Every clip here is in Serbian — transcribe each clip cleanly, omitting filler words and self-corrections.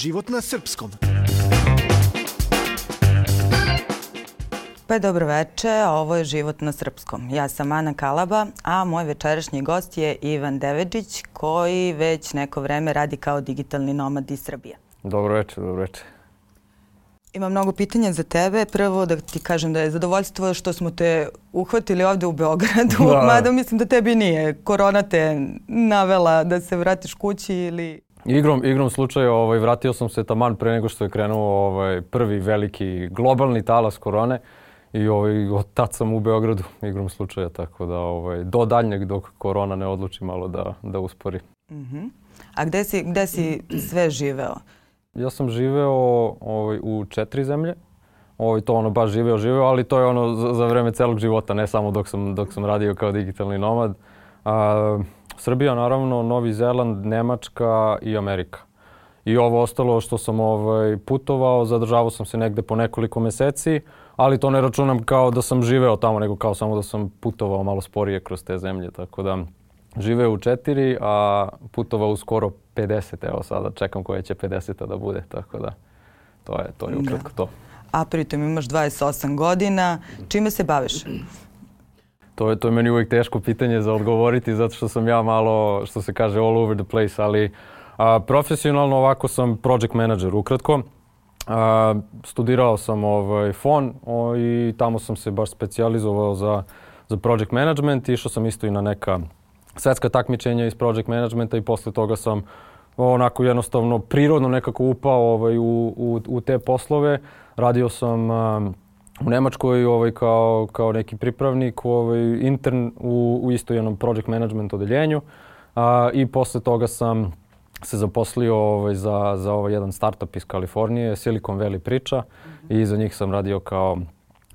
Život na srpskom. Pa dobro veče, ovo je Život na srpskom. Ja sam Ana Kalaba, a moj večerašnji gost je Ivan Devedžić, koji već neko vreme radi kao digitalni nomad iz Srbije. Dobro večer, dobro večer. Imam mnogo pitanja za tebe. Prvo da ti kažem da je zadovoljstvo što smo te uhvatili ovde u Beogradu, mada mislim da tebi nije. Korona te navela da se vratiš kući ili... Igrom slučaja vratio sam se taman pre nego što je krenuo prvi veliki globalni talas korone i od tad sam u Beogradu igrom slučaja, tako da do daljnjeg dok korona ne odluči malo da uspori. A gde si sve živeo? Ja sam živeo u 4 zemlje. To baš živeo, ali to je za vreme celog života, ne samo dok sam radio kao digitalni nomad. Srbija, naravno, Novi Zeland, Nemačka i Amerika. I ovo ostalo što sam putovao, zadržavao sam se negde po nekoliko meseci, ali to ne računam kao da sam živeo tamo, nego kao samo da sam putovao malo sporije kroz te zemlje. Tako da živeo u 4, a putovao u skoro 50. Evo sada čekam koja će 50. da bude, tako da to je ukratko to. A pritom imaš 28 godina. Čime se baviš? To je meni uvijek teško pitanje za odgovoriti, zato što sam ja malo, što se kaže, all over the place, ali profesionalno ovako sam project manager ukratko. Studirao sam FON i tamo sam se baš specijalizovao za project management. Išao sam isto i na neka svetska takmičenja iz project managementa i posle toga sam onako jednostavno prirodno nekako upao u te poslove. Radio sam u Nemačkoj kao neki pripravnik, intern u isto jednom project management odeljenju i posle toga sam se zaposlio za jedan startup iz Kalifornije, Silicon Valley priča, i za njih sam radio kao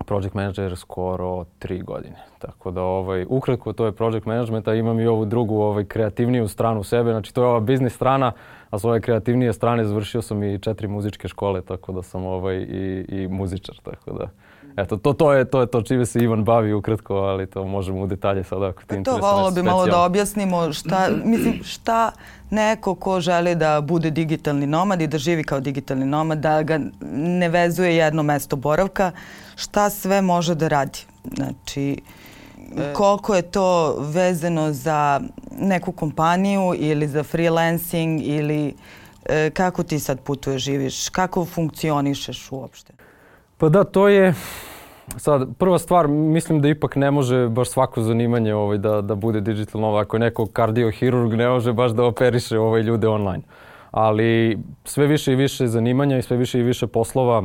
project manager skoro 3 godine. Tako da ukratko to je project management, a imam i ovu drugu kreativniju stranu sebe, znači to je ova biznis strana, a s ove kreativnije strane završio sam i 4 muzičke škole, tako da sam i muzičar, tako da eto, to je to čime se Ivan bavi ukratko, ali to možemo u detalje sada ako ti interesuje. To volilo bi malo da objasnimo šta neko ko želi da bude digitalni nomad i da živi kao digitalni nomad, da ga ne vezuje jedno mesto boravka, šta sve može da radi. Znači, koliko je to vezano za neku kompaniju ili za freelancing ili kako ti sad putuješ, živiš, kako funkcionišeš uopšte? Pa da, to je sad prva stvar, mislim da ipak ne može baš svako zanimanje da bude digital nomad. Ako je neko kardiohirurg, ne može baš da operiše ljude online. Ali sve više i više zanimanja i sve više i više poslova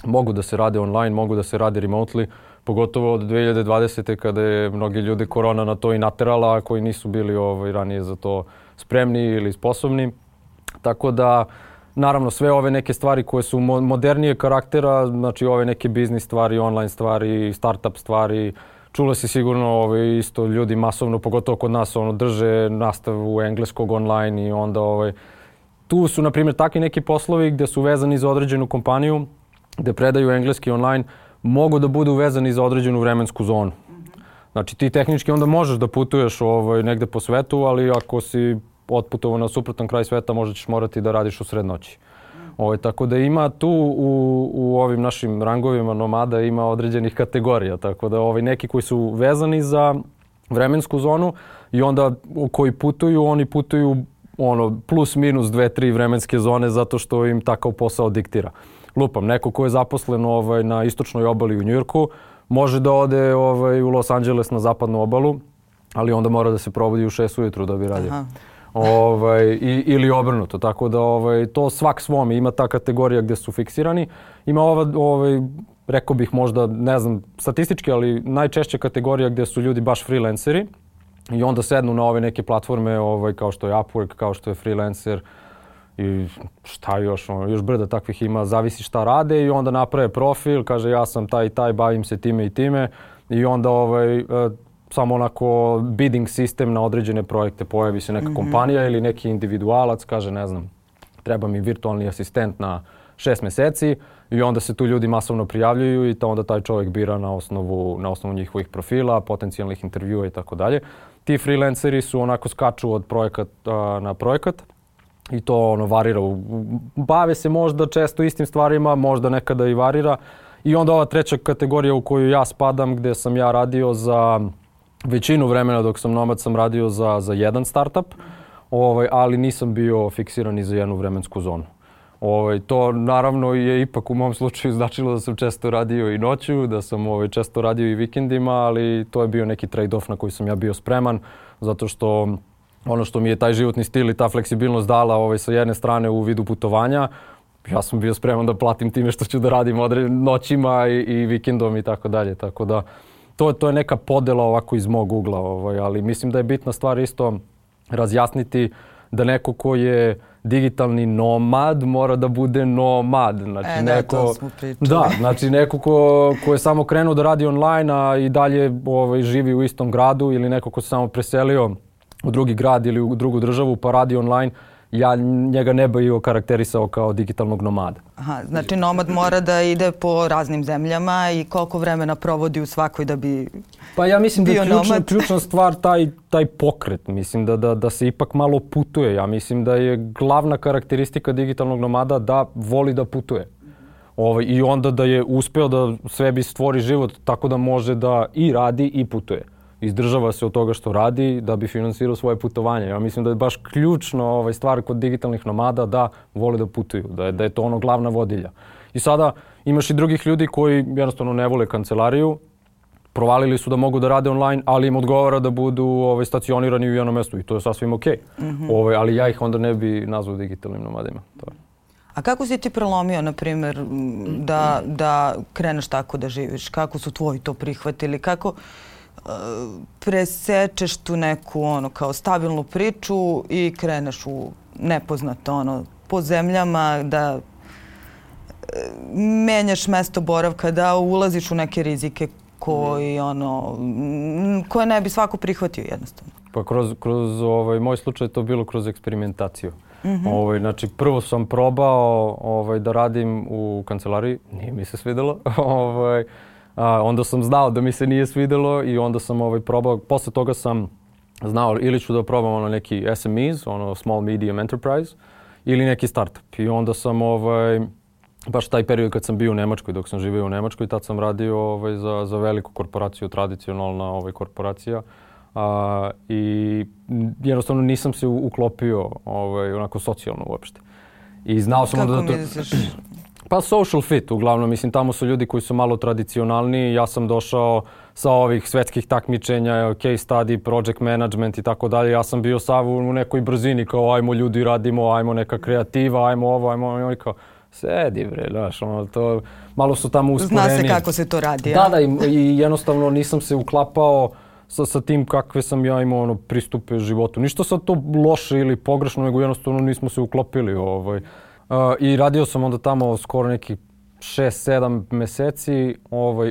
mogu da se rade online, mogu da se rade remotely, pogotovo od 2020. kada je mnogi ljudi korona na to i naterala, a koji nisu bili ranije za to spremni ili sposobni. Tako da, naravno, sve ove neke stvari koje su modernije karaktera, znači ove neke biznis stvari, online stvari, startup stvari, čulo si sigurno isto ljudi masovno, pogotovo kod nas, drže nastavu engleskog online i onda tu su, na primjer, takvi neki poslovi gde su vezani za određenu kompaniju, gde predaju engleski online, mogu da budu vezani za određenu vremensku zonu. Znači ti tehnički onda možeš da putuješ negde po svetu, ali ako si otputovao na suprotan kraj sveta, možda ćeš morati da radiš u sred noći. Tako da ima tu u ovim našim rangovima nomada ima određenih kategorija, tako da neki koji su vezani za vremensku zonu i onda koji putuju, oni putuju plus minus 2-3 vremenske zone zato što im takav posao diktira. Lupam, neko ko je zaposlen na istočnoj obali u Njujorku može da ode u Los Angeles na zapadnu obalu, ali onda mora da se probudi u 6 ujutru da bi radio. Ili obrnuto, tako da to svak svom ima ta kategorija gdje su fiksirani. Ima rekao bih možda, ne znam statistički, ali najčešća kategorija gdje su ljudi baš freelanceri i onda sednu na ove neke platforme kao što je Upwork, kao što je Freelancer i šta još brda takvih ima, zavisi šta rade i onda naprave profil, kaže ja sam taj i taj, bavim se time i time i onda samo onako bidding sistem na određene projekte, pojavi se neka kompanija ili neki individualac, kaže ne znam, treba mi virtualni asistent na 6 meseci i onda se tu ljudi masovno prijavljuju i onda taj čovjek bira na osnovu njihovih profila, potencijalnih intervjua i tako dalje. Ti freelanceri su onako skaču od projekata na projekat i to varira. Bave se možda često istim stvarima, možda nekada i varira. I onda ova treća kategorija u koju ja spadam, gdje sam ja radio za većinu vremena dok sam nomad sam radio za jedan startup, ali nisam bio fiksiran ni za jednu vremensku zonu. To naravno je ipak u mom slučaju značilo da sam često radio i noću, da sam često radio i vikendima, ali to je bio neki trade-off na koji sam ja bio spreman, zato što ono što mi je taj životni stil i ta fleksibilnost dala sa jedne strane u vidu putovanja, ja sam bio spreman da platim time što ću da radim noćima i vikendom i tako dalje. Tako da to je neka podela ovako iz mog ugla, ali mislim da je bitna stvar isto razjasniti da neko ko je digitalni nomad mora da bude nomad. Znači, to smo pričali. Da, znači neko ko je samo krenuo da radi online, a i dalje živi u istom gradu, ili neko ko se samo preselio u drugi grad ili u drugu državu pa radi online, ja njega ne bih okarakterisao kao digitalnog nomada. Aha, znači nomad mora da ide po raznim zemljama i koliko vremena provodi u svakoj da bi Pa ja mislim da je ključna stvar taj pokret. Mislim da se ipak malo putuje. Ja mislim da je glavna karakteristika digitalnog nomada da voli da putuje. I onda da je uspeo da sebi stvori život tako da može da i radi i putuje. Izdržava se od toga što radi da bi finansirao svoje putovanje. Ja mislim da je baš ključno stvar kod digitalnih nomada da vole da putuju, da je to ono glavna vodilja. I sada imaš i drugih ljudi koji jednostavno ne vole kancelariju, provalili su da mogu da rade online, ali im odgovara da budu stacionirani u jednom mjestu i to je sasvim okej. Ali ja ih onda ne bi nazvao digitalnim nomadima. A kako si ti prelomio, na primjer, da kreneš tako da živiš? Kako su tvoji to prihvatili? Kako presečeš tu neku kao stabilnu priču i kreneš u nepoznato po zemljama, da menjaš mesto boravka, da ulaziš u neke rizike koje ne bi svako prihvatio jednostavno? Pa kroz moj slučaj to bilo kroz eksperimentaciju. Znači prvo sam probao da radim u kancelariji, nije mi se svidjelo. Onda sam znao da mi se nije svidjelo i onda sam probao, posle toga sam znao ili ću da probam neki SMEs, Small Medium Enterprise, ili neki startup. I onda sam baš taj period kad sam bio u Nemačkoj, dok sam živio u Nemačkoj, tad sam radio za veliku korporaciju, tradicionalna korporacija. I jednostavno nisam se uklopio onako socijalno uopšte. I znao sam onda da to... Pa social fit, uglavnom, mislim, tamo su ljudi koji su malo tradicionalniji. Ja sam došao sa ovih svetskih takmičenja, case study, project management i tako dalje. Ja sam bio sav u nekoj brzini, kao ajmo ljudi radimo, ajmo neka kreativa, ajmo ovo, ajmo ono, kao sedi bre, znaš, to malo su tamo usporeni. Zna se kako se to radi, Da, i jednostavno nisam se uklapao sa tim kakve sam ja imao pristupe životu. Ništa sad to loše ili pogrešno, nego jednostavno nismo se uklopili. I radio sam onda tamo skoro nekih 6-7 mjeseci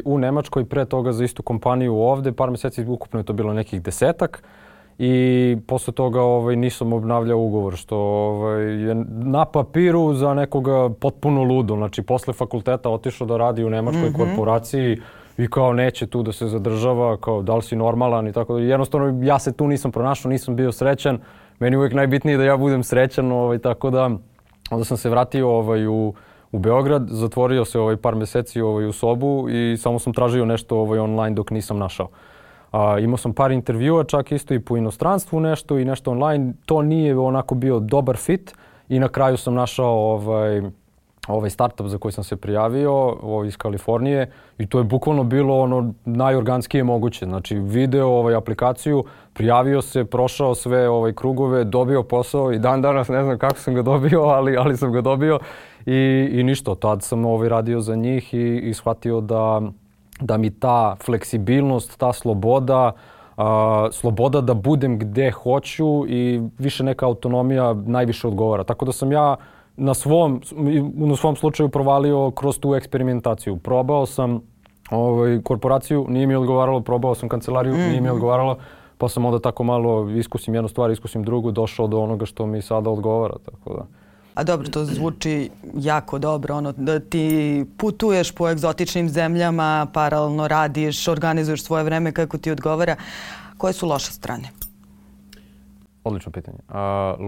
u Nemačkoj, pre toga za istu kompaniju ovdje, par mjeseci, ukupno je to bilo nekih 10-ak. I posle toga nisam obnavljao ugovor, što je na papiru za nekoga potpuno ludo. Znači, posle fakulteta otišao da radi u nemačkoj korporaciji i kao neće tu da se zadržava, kao da li si normalan i tako da. Jednostavno, ja se tu nisam pronašao, nisam bio srećan. Meni uvijek najbitnije da ja budem srećan, tako da onda sam se vratio u Beograd, zatvorio se par mjeseci u sobu i samo sam tražio nešto online dok nisam našao. Imao sam par intervjua, čak isto i po inostranstvu nešto i nešto online. To nije onako bio dobar fit i na kraju sam našao ovaj startup za koji sam se prijavio iz Kalifornije i to je bukvalno bilo najorganskije moguće. Znači video aplikaciju, prijavio se, prošao sve krugove, dobio posao i dan danas ne znam kako sam ga dobio, ali sam ga dobio i ništa. Tad sam radio za njih i shvatio da mi ta fleksibilnost, ta sloboda da budem gde hoću i više neka autonomija najviše odgovara. Tako da sam ja na svom slučaju provalio kroz tu eksperimentaciju. Probao sam korporaciju, nije mi odgovaralo, probao sam kancelariju, nije mi odgovaralo, pa sam onda tako malo iskusim jednu stvar, iskusim drugu, došao do onoga što mi sada odgovara. Tako da. A dobro, to zvuči jako dobro, da ti putuješ po egzotičnim zemljama, paralelno radiš, organizuješ svoje vreme kako ti odgovara. Koje su loše strane? Odlično pitanje.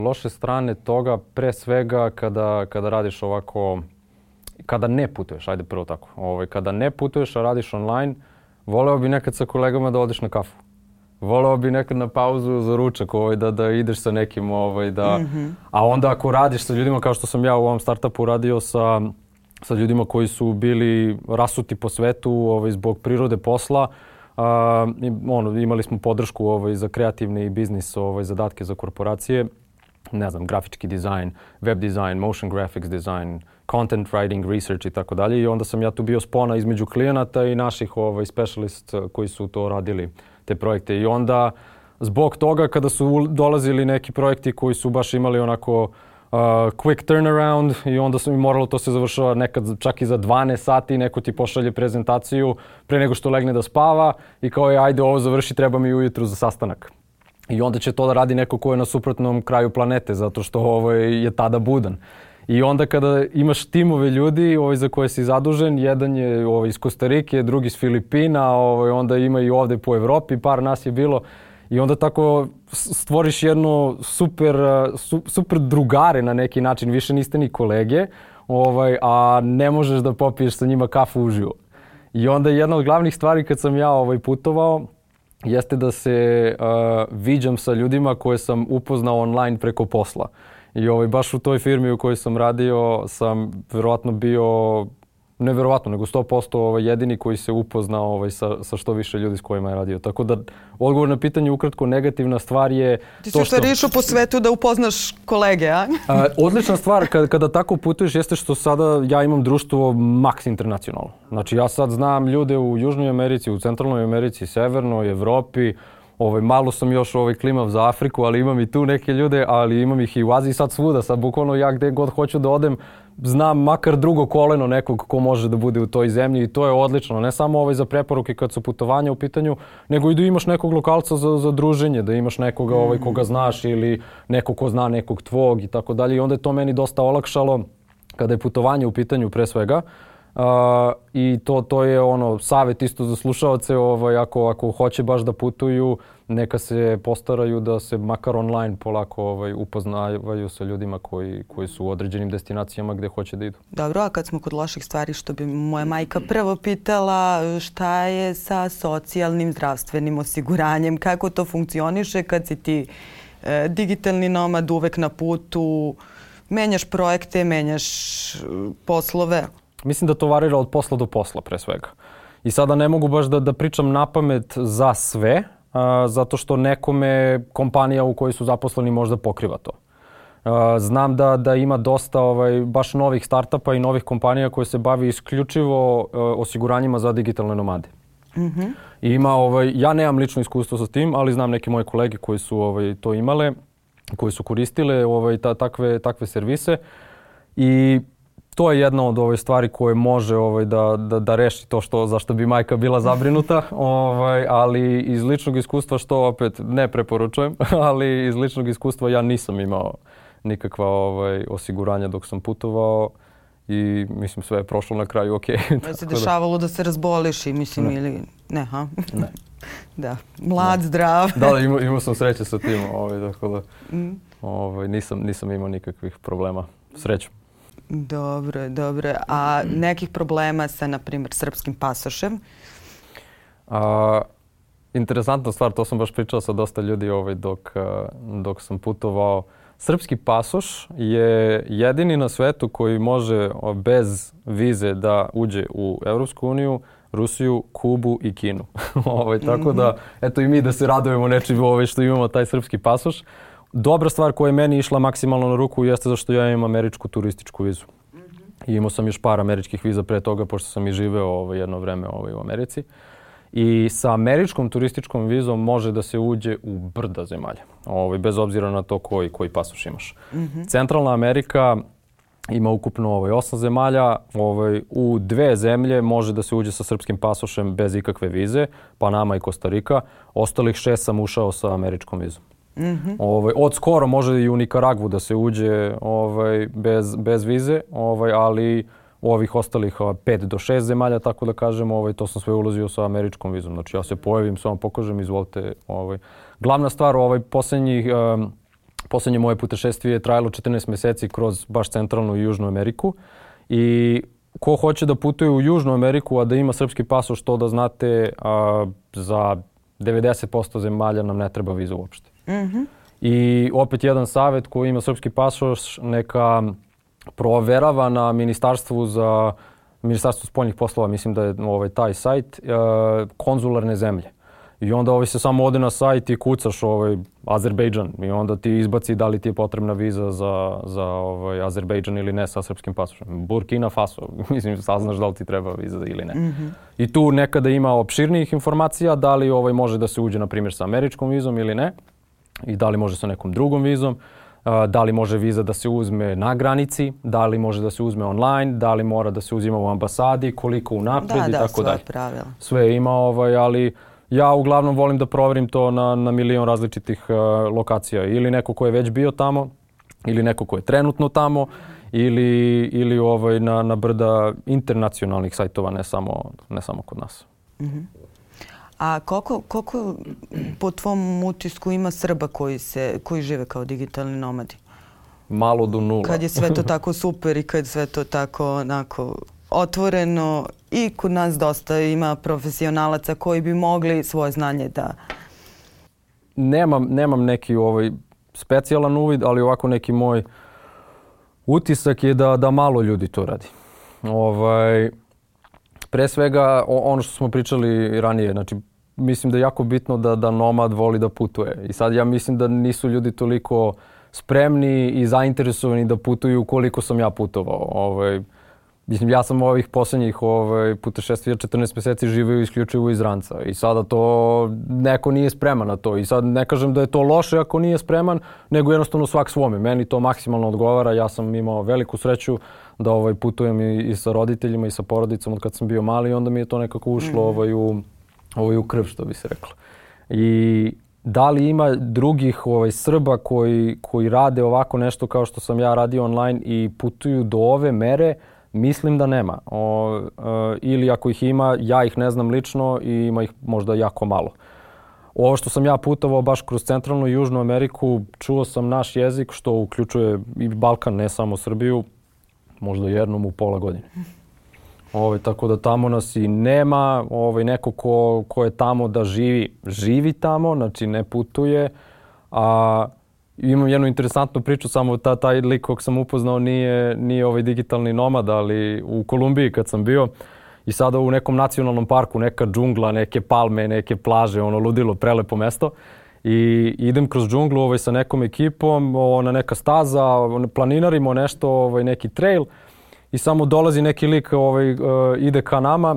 Loše strane toga, pre svega kada radiš ovako, kada ne putuješ, ajde prvo tako. Kada ne putuješ, a radiš online, voleo bi nekad sa kolegama da odeš na kafu. Voleo bi nekad na pauzu za ručak, da ideš sa nekim, a onda ako radiš sa ljudima kao što sam ja u ovom startupu radio sa ljudima koji su bili rasuti po svetu zbog prirode posla, imali smo podršku za kreativni biznis, zadatke za korporacije, ne znam, grafički dizajn, web dizajn, motion graphics design, content writing, research i tako dalje. I onda sam ja tu bio spona između klijenata i naših specialist koji su to radili, te projekte. I onda zbog toga kada su dolazili neki projekti koji su baš imali onako quick turnaround i onda sam moralo to se završava nekad čak i za 12 sati, neko ti pošalje prezentaciju pre nego što legne da spava i kao je ajde ovo završi, treba mi ujutru za sastanak. I onda će to da radi neko ko je na suprotnom kraju planete zato što je tada budan. I onda kada imaš timove ljudi za koje si zadužen, jedan je iz Kostarike, drugi iz Filipina, onda ima i ovde po Evropi, par nas je bilo. I onda tako stvoriš jedno super drugare na neki način, više niste ni kolege, a ne možeš da popiješ sa njima kafu uživo. I onda jedna od glavnih stvari kad sam ja putovao jeste da se viđam sa ljudima koje sam upoznao online preko posla. I baš u toj firmi u kojoj sam radio sam verovatno bio, ne verovatno, nego 100% jedini koji se upoznao sa što više ljudi s kojima je radio. Tako da, odgovor na pitanje ukratko, negativna stvar je ti to što... Ti si išao po svetu da upoznaš kolege, a? Odlična stvar kada tako putuješ jeste što sada ja imam društvo Max International. Znači ja sad znam ljude u Južnoj Americi, u Centralnoj Americi, Severnoj Evropi, malo sam još klimav za Afriku, ali imam i tu neke ljude, ali imam ih i u Aziji sad svuda. Sad bukvalno ja gde god hoću da odem, znam makar drugo koleno nekog ko može da bude u toj zemlji i to je odlično. Ne samo za preporuke kad su putovanja u pitanju, nego i da imaš nekog lokalca za druženje, da imaš nekoga koga znaš ili nekog ko zna nekog tvog i tako dalje. I onda je to meni dosta olakšalo kada je putovanje u pitanju pre svega. I to je savjet isto za slušaoce, ako hoće baš da putuju, neka se postaraju da se makar online polako upoznavaju sa ljudima koji su u određenim destinacijama gde hoće da idu. Dobro, a kad smo kod loših stvari, što bi moja majka prvo pitala, šta je sa socijalnim zdravstvenim osiguranjem, kako to funkcioniše kad si ti digitalni nomad, uvek na putu, menjaš projekte, menjaš poslove? Mislim da to varira od posla do posla pre svega. I sada ne mogu baš da pričam napamet za sve, zato što nekome kompanija u kojoj su zaposleni možda pokriva to. Znam da ima dosta baš novih startupa i novih kompanija koje se bavi isključivo osiguranjima za digitalne nomade. I ima, ja nemam lično iskustvo sa tim, ali znam neke moje kolege koji su to imale, koji su koristile takve servise i to je jedna od stvari koje može da reši to zašto bi majka bila zabrinuta, ali iz ličnog iskustva, što opet ne preporučujem, ali iz ličnog iskustva ja nisam imao nikakva osiguranja dok sam putovao i mislim sve je prošlo na kraju okej. Da se dešavalo da se razboliš i mislim ili... Ne, ha? Ne. Da, mlad, zdrav. Da, imao sam sreće sa tim, tako da nisam imao nikakvih problema. Srećom. Dobro. A nekih problema sa, na primjer, srpskim pasošem? Interesantna stvar, to sam baš pričao sa dosta ljudi dok sam putovao. Srpski pasoš je jedini na svetu koji može bez vize da uđe u Evropsku uniju, Rusiju, Kubu i Kinu. Tako da, eto i mi da se radujemo nečim što imamo taj srpski pasoš. Dobra stvar koja je meni išla maksimalno na ruku jeste zašto ja imam američku turističku vizu. I imao sam još par američkih viza pre toga, pošto sam i živeo jedno vreme u Americi. I sa američkom turističkom vizom može da se uđe u brda zemalja, bez obzira na to koji pasoš imaš. Centralna Amerika ima ukupno 8 zemalja, u 2 zemlje može da se uđe sa srpskim pasošem bez ikakve vize, Panama i Kostarika. Ostalih 6 sam ušao sa američkom vizom. Od skoro može i u Nikaragvu da se uđe bez vize, ali u ovih ostalih 5 do 6 zemalja, tako da kažem, to sam sve ulazio sa američkom vizom. Znači ja se pojavim, samo pokažem, izvolite. Glavna stvar posljednjih Poslednje moje putešestvije je trajalo 14 meseci kroz baš centralnu i južnu Ameriku. I ko hoće da putuje u Južnu Ameriku, a da ima srpski pasoš, to da znate, za 90% zemalja nam ne treba viza uopšte. I opet jedan savjet, ko ima srpski pasoš, neka proverava na Ministarstvu spoljnih poslova, mislim da je taj sajt, konzularne zemlje. I onda se samo ode na sajt i kucaš Azerbejdžan i onda ti izbaci da li ti je potrebna viza za Azerbejdžan ili ne sa srpskim pasošem. Burkina Faso, mislim, saznaš da li ti treba viza ili ne. I tu nekada ima opširnijih informacija da li može da se uđe, na primjer, sa američkom vizom ili ne i da li može sa nekom drugom vizom. Da li može viza da se uzme na granici, da li može da se uzme online, da li mora da se uzima u ambasadi, koliko unapred i tako dalje. Sve ima, ali ja uglavnom volim da proverim to na milion različitih lokacija. Ili neko ko je već bio tamo, ili neko ko je trenutno tamo, ili na brda internacionalnih sajtova, ne samo kod nas. A koliko po tvom utisku ima Srba koji žive kao digitalni nomadi? Malo do nula. Kad je sve to tako super i kad sve to tako onako otvoreno i kod nas dosta ima profesionalaca koji bi mogli svoje znanje da... Nemam neki specijalan uvid, ali ovako neki moj utisak je da malo ljudi to radi. Pre svega, ono što smo pričali ranije, znači mislim da je jako bitno da nomad voli da putuje. I sad ja mislim da nisu ljudi toliko spremni i zainteresovani da putuju koliko sam ja putovao. Mislim, ja sam ovih posljednjih putešestvija 14 meseci živio isključivo iz ranca. I sada to neko nije spreman na to. I sad ne kažem da je to loše ako nije spreman, nego jednostavno svak svome. Meni to maksimalno odgovara. Ja sam imao veliku sreću da putujem i sa roditeljima i sa porodicom od kad sam bio mali i onda mi je to nekako ušlo u krv, što bi se reklo. I da li ima drugih Srba koji rade ovako nešto kao što sam ja radio online i putuju do ove mere? Mislim da nema. Ili ako ih ima, ja ih ne znam lično i ima ih možda jako malo. Ovo što sam ja putovao baš kroz centralnu i južnu Ameriku, čuo sam naš jezik, što uključuje i Balkan, ne samo Srbiju, možda jednom u pola godine. Tako da tamo nas i nema. Neko ko je tamo da živi tamo, znači ne putuje. Imam jednu interesantnu priču, samo taj lik kog sam upoznao nije digitalni nomad, ali u Kolumbiji kad sam bio i sada u nekom nacionalnom parku, neka džungla, neke palme, neke plaže, ludilo, prelepo mesto. I idem kroz džunglu sa nekom ekipom, neka staza, planinarimo nešto, neki trail i samo dolazi neki lik, ide ka nama,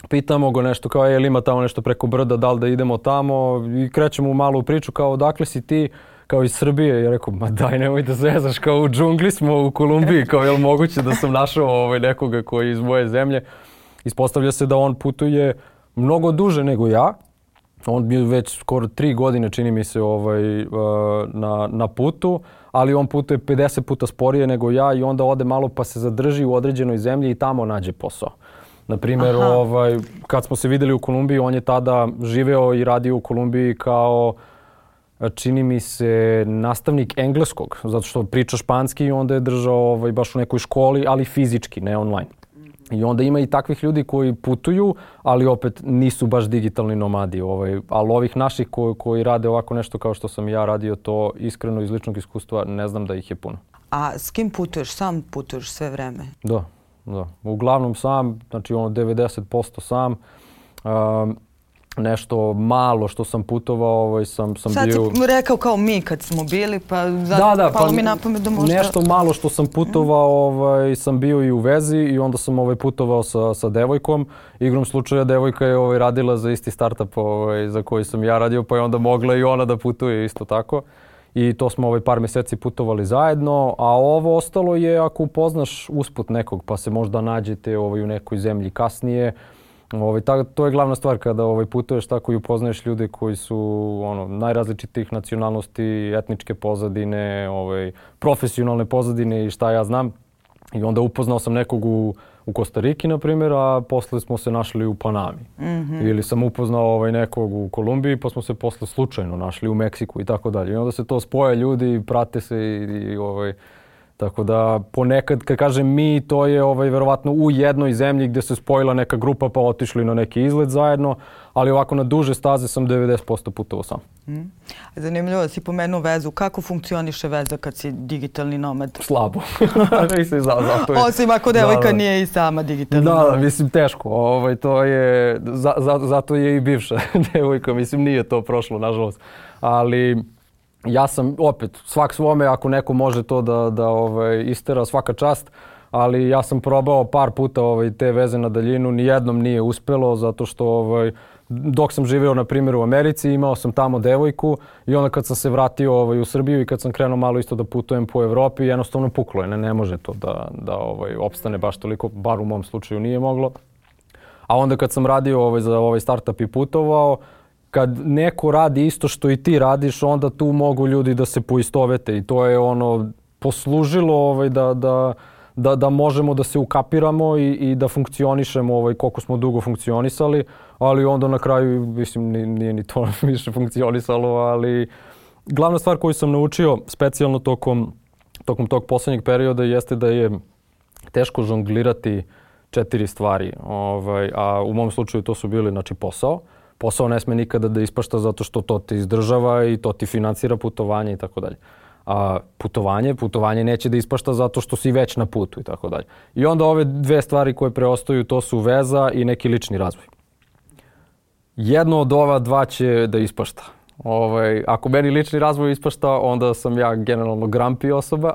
pitamo ga nešto kao, jel ima tamo nešto preko brda, da li da idemo tamo i krećemo u malu priču kao, odakle si ti? Kao iz Srbije. Ja rekao, ma daj, nemoj da zezaš, kao u džungli smo u Kolumbiji, kao je li moguće da sam našao nekoga koji je iz moje zemlje. Ispostavlja se da on putuje mnogo duže nego ja. On je već skoro 3 godine, čini mi se, na putu, ali on putuje 50 puta sporije nego ja i onda ode malo pa se zadrži u određenoj zemlji i tamo nađe posao. Naprimjer, kad smo se videli u Kolumbiji, on je tada živeo i radio u Kolumbiji kao, čini mi se, nastavnik engleskog, zato što priča španski i onda je držao baš u nekoj školi, ali fizički, ne online. I onda ima i takvih ljudi koji putuju, ali opet nisu baš digitalni nomadi. Ali ovih naših koji rade ovako nešto kao što sam ja radio, to iskreno iz ličnog iskustva ne znam da ih je puno. A s kim putuješ? Sam putuješ sve vreme? Da. Uglavnom sam, znači 90% sam. Nešto malo što sam putovao, sam bio... Sad si rekao kao mi kad smo bili, pa palo mi na pamet da možda... Nešto malo što sam putovao, sam bio i u vezi i onda sam putovao sa devojkom. Igrom slučaja devojka je radila za isti startup za koji sam ja radio, pa je onda mogla i ona da putuje isto tako. I to smo par mjeseci putovali zajedno, a ovo ostalo je ako upoznaš usput nekog pa se možda nađete u nekoj zemlji kasnije. To je glavna stvar kada putuješ tako i upoznaješ ljude koji su najrazličitijih nacionalnosti, etničke pozadine, profesionalne pozadine i šta ja znam. I onda upoznao sam nekog u Kostariki, na primjer, a posle smo se našli u Panami. Ili sam upoznao nekog u Kolumbiji, pa smo se posle slučajno našli u Meksiku i tako dalje. I onda se to spoje ljudi, prate se i tako da ponekad, kad kažem mi, to je verovatno u jednoj zemlji gdje se spojila neka grupa pa otišli na neki izlet zajedno, ali ovako na duže staze sam 90% putovao sam. Zanimljivo da si pomenuo vezu. Kako funkcioniše veza kad si digitalni nomad? Slabo. Osim ako devojka nije i sama digitalni nomad. Da, mislim teško. To je, zato je i bivša devojka, mislim nije to prošlo, nažalost. Ali ja sam, opet, svak svome, ako neko može to da istera, svaka čast, ali ja sam probao par puta te veze na daljinu, nijednom nije uspelo, zato što dok sam živio, na primjer, u Americi, imao sam tamo devojku i onda kad sam se vratio u Srbiju i kad sam krenuo malo isto da putujem po Evropi, jednostavno puklo je, ne može to da opstane baš toliko, bar u mom slučaju nije moglo. A onda kad sam radio za startup i putovao, kad neko radi isto što i ti radiš, onda tu mogu ljudi da se poistovete i to je poslužilo da možemo da se ukapiramo i da funkcionišemo koliko smo dugo funkcionisali, ali onda na kraju, mislim, nije ni to više funkcionisalo, ali glavna stvar koju sam naučio specijalno tokom tog posljednjeg perioda jeste da je teško žonglirati 4 stvari, a u mom slučaju to su bili, znači, posao. Posao ne sme nikada da ispašta zato što to te izdržava i to ti financira putovanje i tako dalje. A putovanje neće da ispašta zato što si već na putu i tako dalje. I onda ove 2 stvari koje preostaju, to su veza i neki lični razvoj. Jedno od ova 2 će da ispašta. Ako meni lični razvoj ispašta, onda sam ja generalno grumpy osoba,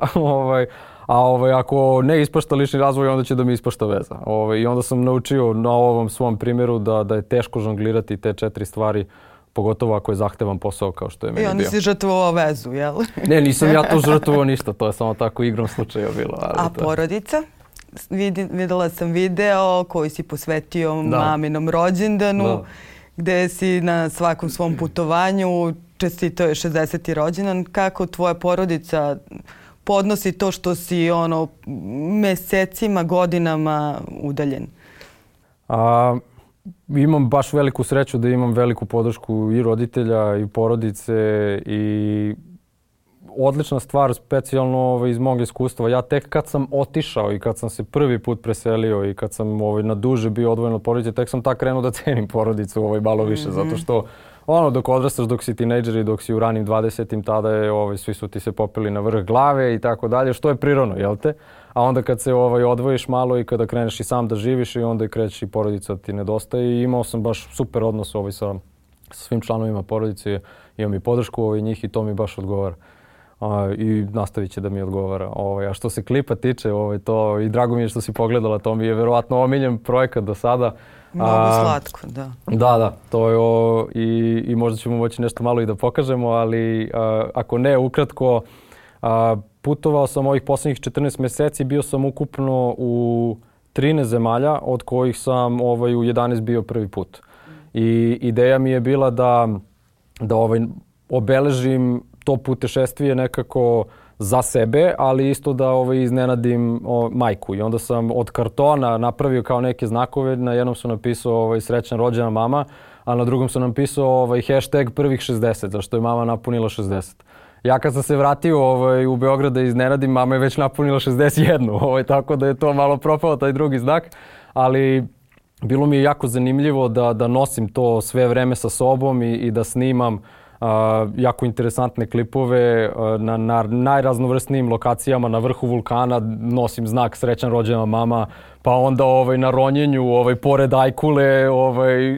a ako ne ispašta lični razvoj, onda će da mi ispašta veza. I onda sam naučio na ovom svom primjeru da je teško žonglirati te 4 stvari, pogotovo ako je zahtevan posao kao što je meni bio. I onda si žrtvovao vezu, jel? Ne, nisam ja to žrtvovao ništa, to je samo tako igrom slučaja bilo. A porodica? Videla sam video koji si posvetio maminom rođendanu, gde si na svakom svom putovanju čestitao je 60. rođendan. Kako tvoja porodica podnosi to što si mesecima, godinama udaljen? Imam baš veliku sreću da imam veliku podršku i roditelja i porodice i odlična stvar, specijalno iz mog iskustva. Ja tek kad sam otišao i kad sam se prvi put preselio i kad sam na duže bio odvojen od porodice, tek sam tak krenuo da cenim porodicu malo više, zato što dok odrastaš, dok si tinejdžer i dok si u ranim 20-im, tada je svi su ti se popeli na vrh glave i tako dalje, što je prirodno, jel te? A onda kad se odvojiš malo i kada kreneš i sam da živiš i onda krećeš i porodica ti nedostaje i imao sam baš super odnos sa svim članovima porodice, imam i podršku njih i to mi baš odgovara. I nastavit će da mi odgovara. A što se klipa tiče, to i drago mi je što si pogledala, to mi je verovatno omiljen projekat do sada. Mnogo slatko, da. Da, to je i možda ćemo moći nešto malo i da pokažemo, ali ako ne, ukratko, putovao sam ovih posljednjih 14 mjeseci, bio sam ukupno u 13 zemalja, od kojih sam u 11 bio prvi put. I ideja mi je bila da obeležim to putešestvije nekako za sebe, ali isto da iznenadim majku. I onda sam od kartona napravio kao neke znakove, na jednom sam napisao srećan rođena mama, a na drugom sam napisao hashtag prvih 60, zašto je mama napunila 60. Ja kad sam se vratio u Beograd da iznenadim, mama je već napunila 61, tako da je to malo propao taj drugi znak, ali bilo mi je jako zanimljivo da nosim to sve vreme sa sobom i da snimam jako interesantne klipove na najraznovrsnijim lokacijama, na vrhu vulkana nosim znak srećan rođena mama, pa onda na ronjenju pored Ajkule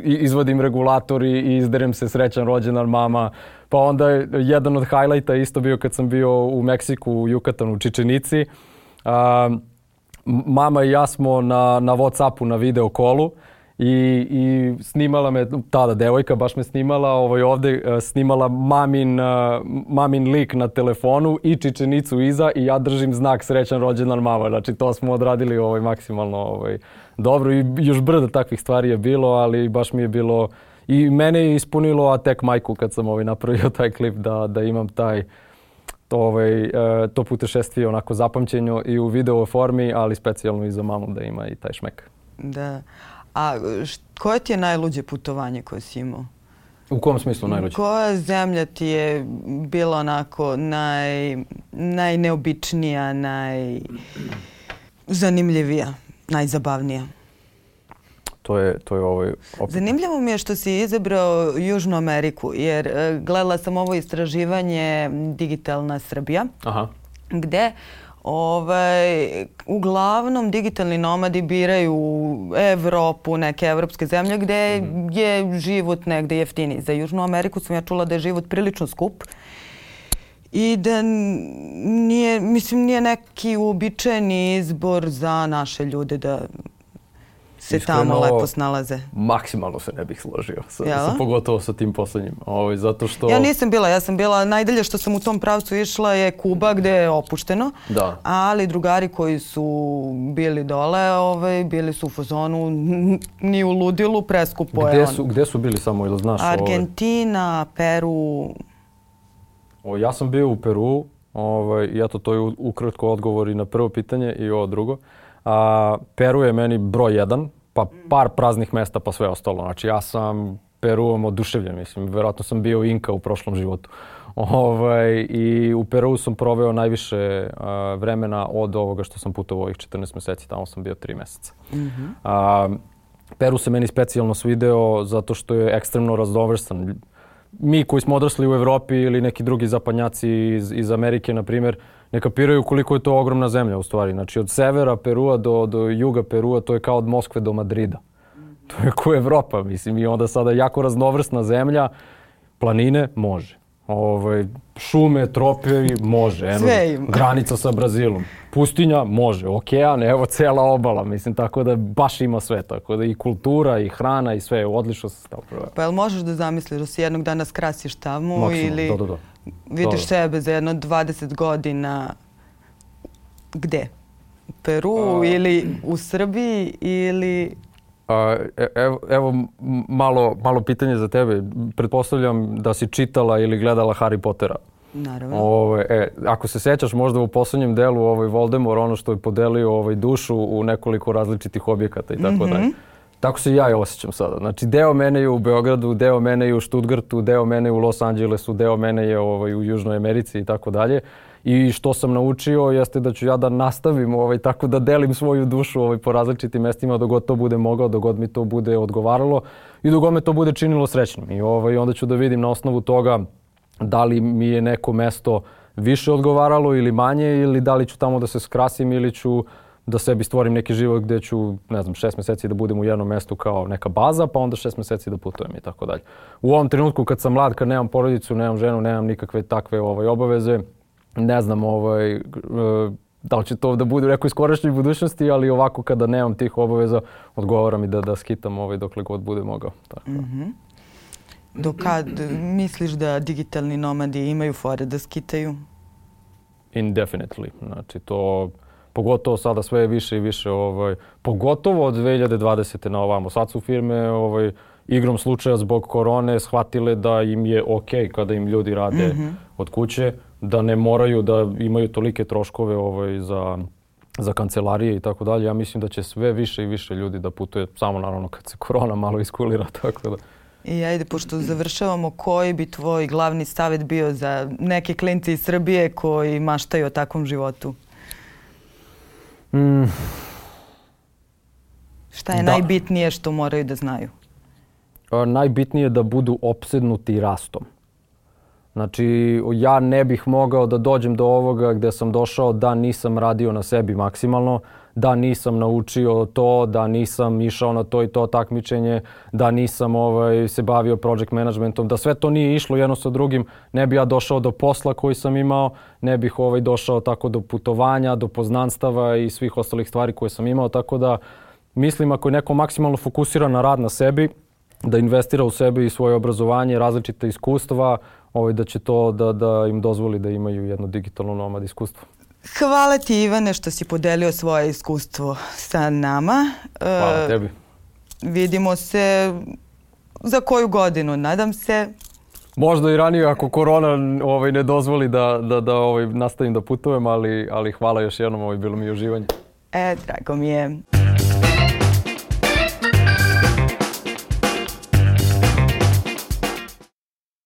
izvodim regulator i izderem se srećan rođendan mama. Pa onda jedan od highlighta isto bio kad sam bio u Meksiku, u Jukatanu, u Čičenici. Mama i ja smo na Whatsappu na video kolu i snimala me, tada devojka baš me snimala, ovdje snimala mamin lik na telefonu i Čičenicu iza i ja držim znak srećan rođendan mama. Znači to smo odradili maksimalno dobro i još brdo takvih stvari je bilo, ali baš mi je bilo i mene je ispunilo, a tek majku kad sam napravio taj klip da imam to putešestvije onako zapamćeno i u video formi, ali specijalno i za mamu da ima i taj šmek. Da. A koje ti je najluđe putovanje koje si imao? U kom smislu najluđe? Koja zemlja ti je bila onako najneobičnija, najzanimljivija, najzabavnija? To je Zanimljivo mi je što si izabrao Južnu Ameriku, jer gledala sam ovo istraživanje Digitalna Srbija, gde uglavnom digitalni nomadi biraju Evropu, neke evropske zemlje gde je život negde jeftiniji. Za Južnu Ameriku sam ja čula da je život prilično skup i da nije neki uobičajeni izbor za naše ljude da se tamo lepo snalaze. Maksimalno se ne bih složio, pogotovo sa tim poslednjim. Zato što... Ja nisam bila, ja sam bila, najdalje što sam u tom pravcu išla je Kuba gde je opušteno, ali drugari koji su bili dole, bili su u fazonu, ni u ludilu, preskupo je on. Gde su bili samo, ili znaš? Argentina, Peru. Ja sam bio u Peru, i eto to je ukratko odgovor i na prvo pitanje i ovo drugo. Peru je meni broj 1, pa par praznih mesta pa sve ostalo. Znači ja sam Peruom oduševljen, mislim, verovatno sam bio Inka u prošlom životu. I u Peru sam proveo najviše vremena od ovoga što sam putovao ovih 14 meseci, tamo sam bio 3 meseca. Peru se meni specijalno svideo zato što je ekstremno raznovrstan. Mi koji smo odrasli u Evropi ili neki drugi zapadnjaci iz Amerike, na primjer, ne kapiraju koliko je to ogromna zemlja u stvari. Znači od severa Perua do juga Perua to je kao od Moskve do Madrida. To je kao Evropa, mislim. I onda sada jako raznovrsna zemlja, planine može. Šume, tropijevi može. Sve ima. Granica sa Brazilom. Pustinja može. Okean, evo cela obala. Mislim, tako da baš ima sve. Tako da i kultura, i hrana, i sve. Odlično se stao prvo. Pa jel možeš da zamisliš da si jednog dana skrasiš tamo? Maksimum, ili da. vidiš sebe za jedno 20 godina gde? U Peru ili u Srbiji ili... Evo malo pitanje za tebe. Pretpostavljam da si čitala ili gledala Harry Pottera. Naravno. Ako se sećaš možda u poslednjem delu Voldemort, ono što je podelio dušu u nekoliko različitih objekata i tako dalje. Tako se ja i osjećam sada. Znači deo mene je u Beogradu, deo mene je u Stuttgartu, deo mene je u Los Angelesu, deo mene je u Južnoj Americi i tako dalje. I što sam naučio jeste da ću ja da nastavim tako da delim svoju dušu po različitim mestima dok god to bude mogao, dok god mi to bude odgovaralo i dok god me to bude činilo srećnim. I onda ću da vidim na osnovu toga da li mi je neko mesto više odgovaralo ili manje ili da li ću tamo da se skrasim ili ću da sebi stvorim neki život gde ću, 6 meseci da budem u jednom mestu kao neka baza, pa onda 6 meseci da putujem i tako dalje. U ovom trenutku kad sam mlad, kad nemam porodicu, nemam ženu, nemam nikakve takve obaveze, ne znam da li će to da bude u nekoj skorašnjoj budućnosti, ali ovako kada nemam tih obaveza, odgovara mi da skitam dokle god bude mogao. Tako. Do kad misliš da digitalni nomadi imaju fore da skitaju? Indefinitely. Znači to, pogotovo sada sve više i više, pogotovo od 2020. na ovamo. Sad su firme igrom slučaja zbog korone shvatile da im je okej kada im ljudi rade od kuće, da ne moraju da imaju tolike troškove za kancelarije i tako dalje. Ja mislim da će sve više i više ljudi da putuje, samo naravno kad se korona malo iskulira, tako da. I ajde, pošto završavamo, koji bi tvoj glavni savjet bio za neke klince iz Srbije koji maštaju o takvom životu? Šta je najbitnije što moraju da znaju? Najbitnije je da budu opsednuti rastom. Znači, ja ne bih mogao da dođem do ovoga gde sam došao da nisam radio na sebi maksimalno, da nisam naučio to, da nisam išao na to i to takmičenje, da nisam se bavio project managementom, da sve to nije išlo jedno sa drugim, ne bi ja došao do posla koji sam imao, ne bih došao tako do putovanja, do poznanstava i svih ostalih stvari koje sam imao, tako da mislim ako je neko maksimalno fokusiran na rad na sebi, da investira u sebe i svoje obrazovanje, različite iskustva, da će to da im dozvoli da imaju jedno digitalno nomad iskustvo. Hvala ti, Ivane, što si podelio svoje iskustvo sa nama. Hvala tebi. Vidimo se za koju godinu, nadam se. Možda i ranije ako korona ne dozvoli da nastavim da putujem, ali hvala još jednom, bilo mi je uživanje. Drago mi je.